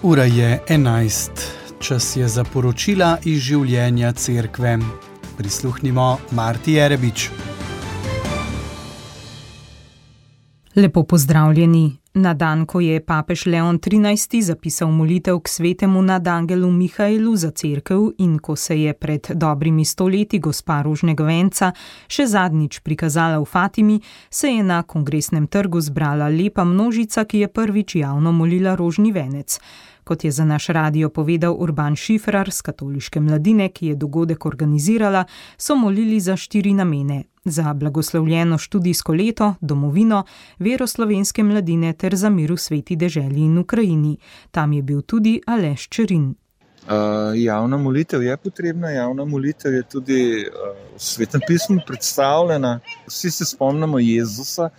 Ura je 11. Čas je za poročila iz življenja cerkve. Prisluhnimo Marti Jerebič. Lepo pozdravljeni. Na dan, ko je papež Leon XIII. Zapisal molitev k svetemu nadangelu Mihaelu za cerkev in ko se je pred dobrimi 100 leti gospa rožnega venca še zadnjič prikazala v Fatimi, se je na Kongresnem trgu zbrala lepa množica, ki je prvič javno molila rožni venec. Kot je za naš radio povedal Urban Šifrar z katoliške mladine, ki je dogodek organizirala, so molili za 4 namene: za blagoslovljeno študijsko leto, domovino, vero slovenske mladine ter za mir v sveti deželi in Ukrajini. Tam je bil tudi Aleš Čerin. Javna molitev je potrebna, javna molitev je tudi v Svetem pismu predstavljena. Vsi se spomnimo Jezusa,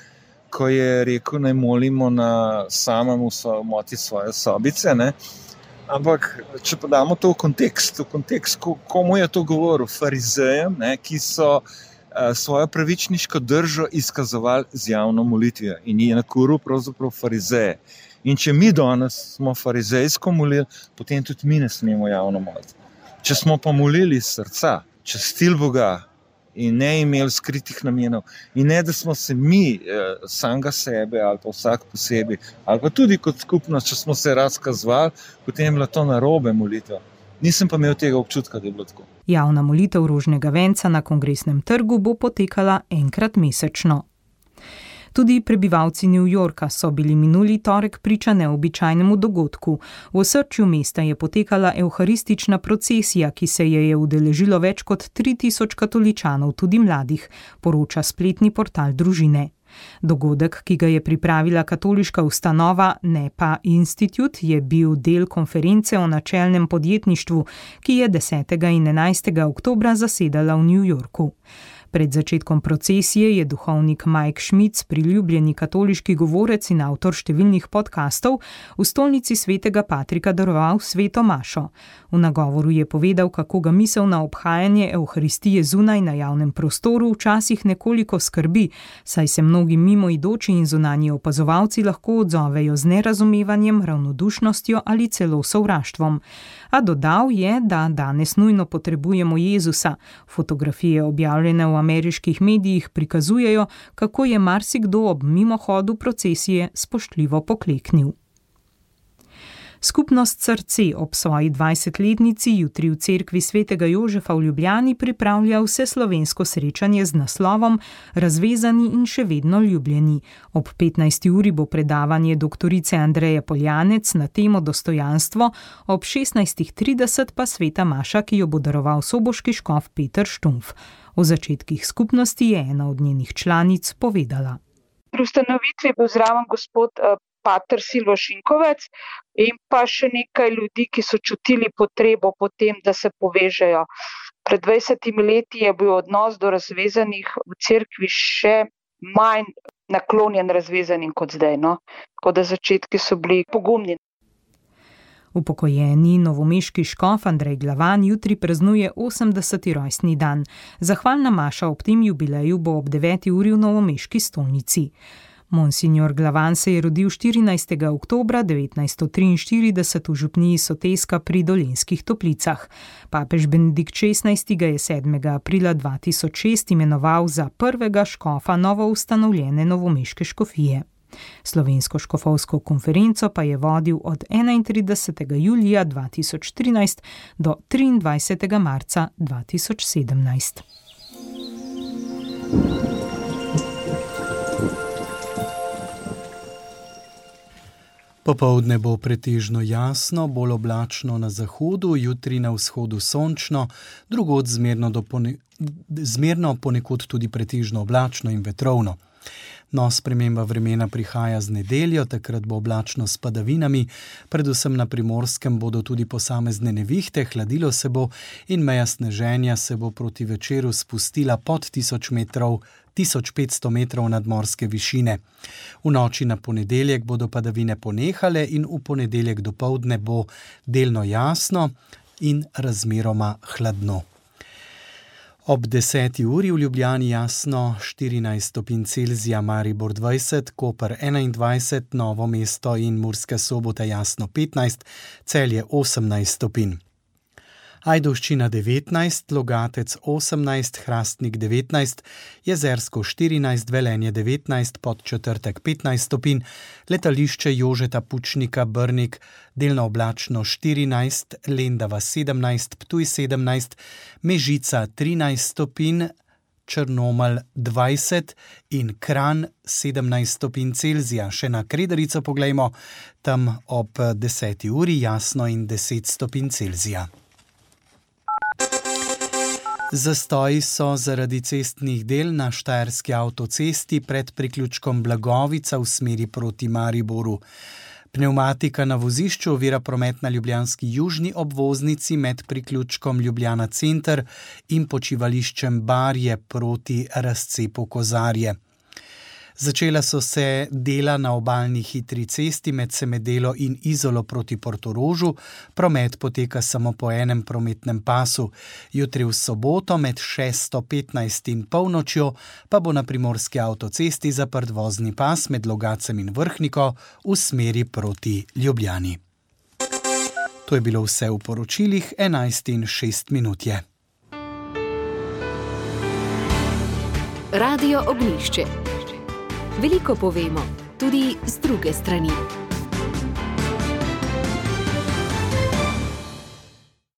ko je rekel, naj molimo na samem v samoti svoje sobice, ne? Ampak, če pa damo to v kontekst, komu je to govoril? Farizejem, ne? Ki so svojo pravičniško držo izkazovali z javno molitvijo in je nakuril pravzaprav farizeje. In če mi danes smo farizejsko molili, potem tudi mi ne smemo javno moliti. Če smo pa molili iz srca, častili Boga in ne imeli skritih namenov, in ne, da smo se mi samega sebe ali pa vsak posebej, ali pa tudi kot skupnost, če smo se razkazovali, potem je bila to narobe molitev. Nisem pa imel tega občutka, da je bilo tako. Javna molitev rožnega venca na Kongresnem trgu bo potekala enkrat mesečno. Tudi prebivalci New Yorka so bili minuli torek priča neobičajnemu dogodku. V osrčju mesta je potekala evharistična procesija, ki se je udeležilo več kot 3000 katoličanov, tudi mladih, poroča spletni portal Družine. Dogodek, ki ga je pripravila katoliška ustanova, ne pa Institut, je bil del konference o načelnem podjetništvu, ki je 10. in 11. oktobra zasedala v New Yorku. Pred začetkom procesije je duhovnik Mike Schmitz, priljubljeni katoliški govorec in avtor številnih podkastov, v stolnici svetega Patrika daroval sveto mašo. V nagovoru je povedal, kako ga misel na obhajanje evharistije zunaj na javnem prostoru včasih nekoliko skrbi, saj se mnogi mimoidoči in zunanji opazovalci lahko odzovejo z nerazumevanjem, ravnodušnostjo ali celo sovraštvom. A dodal je, da danes nujno potrebujemo Jezusa. Fotografije objavljene v ameriških medijih prikazujejo, kako je marsikdo ob mimohodu procesije spoštljivo pokleknil. Skupnost Srce ob svoji 20-letnici jutri v cerkvi svetega Jožefa v Ljubljani pripravlja vseslovensko srečanje z naslovom Razvezani in še vedno ljubljeni. Ob 15. uri bo predavanje doktorice Andreje Poljanec na temo dostojanstvo, ob 16.30 pa sveta maša, ki jo bo daroval soboški škof Peter Štumpf. O začetkih skupnosti je ena od njenih članic povedala. Pri ustanovitvi je bil zraven gospod pater Silvo Šinkovec in pa še nekaj ljudi, ki so čutili potrebo po tem, da se povežejo. Pred 20 leti je bil odnos do razvezanih v cerkvi še manj naklonjen razvezanim kot zdaj, no? Tako da začetki so bili pogumni. Upokojeni novomeški škof Andrej Glavan jutri praznuje 80. rojstni dan. Zahvalna maša ob tem jubileju bo ob 9. uri v novomeški stolnici. Monsignor Glavan se je rodil 14. oktobra 1943 v župniji Soteska pri Dolenjskih Toplicah. Papež Benedikt XVI. Ga je 7. aprila 2006 imenoval za prvega škofa novo ustanovljene novomeške škofije. Slovensko škofovsko konferenco pa je vodil od 31. julija 2013 do 23. marca 2017. Popoldne bo pretežno jasno, bolj oblačno na zahodu, jutri na vzhodu sončno, drugod zmerno, ponekod tudi pretežno oblačno in vetrovno. No, sprememba vremena prihaja z nedeljo, takrat bo oblačno s padavinami, predvsem na Primorskem bodo tudi posamezne nevihte, hladilo se bo in meja sneženja se bo proti večeru spustila pod 1500 metrov nadmorske višine. V noči na ponedeljek bodo padavine ponehale in v ponedeljek dopoldne bo delno jasno in razmeroma hladno. Ob 10. uri v Ljubljani jasno 14 stopinj Celzija, Maribor 20, Koper 21, Novo mesto in Murska Sobota jasno 15, Celje 18 stopinj. Ajdovščina 19, Logatec 18, Hrastnik 19, Jezersko 14, Velenje 19, Podčetrtek 15 stopinj, Letališče Jožeta Pučnika Brnik delno oblačno 14, Lendava 17, Ptuj 17, Mežica 13 stopinj, Črnomelj 20 in Kranj 17 stopinj Celzija. Še na Kredarico poglejmo, tam ob 10. uri jasno in 10 stopinj Celzija. Zastoji so zaradi cestnih del na Štajerski avtocesti pred priključkom Blagovica v smeri proti Mariboru. Pnevmatika na vozišču ovira promet na ljubljanski južni obvoznici med priključkom Ljubljana center in počivališčem Barje proti razcepu Kozarje. Začela so se dela na obalni hitri cesti med Semedelo in Izolo proti Portorožu. Promet poteka samo po enem prometnem pasu. Jutri v soboto med 6:15 in polnočjo pa bo na primorski avtocesti zaprt vozni pas med Logacem in Vrhniko v smeri proti Ljubljani. To je bilo vse v poročilih, 11:06 je. Radio Ognjišče. Veliko povemo, tudi z druge strani.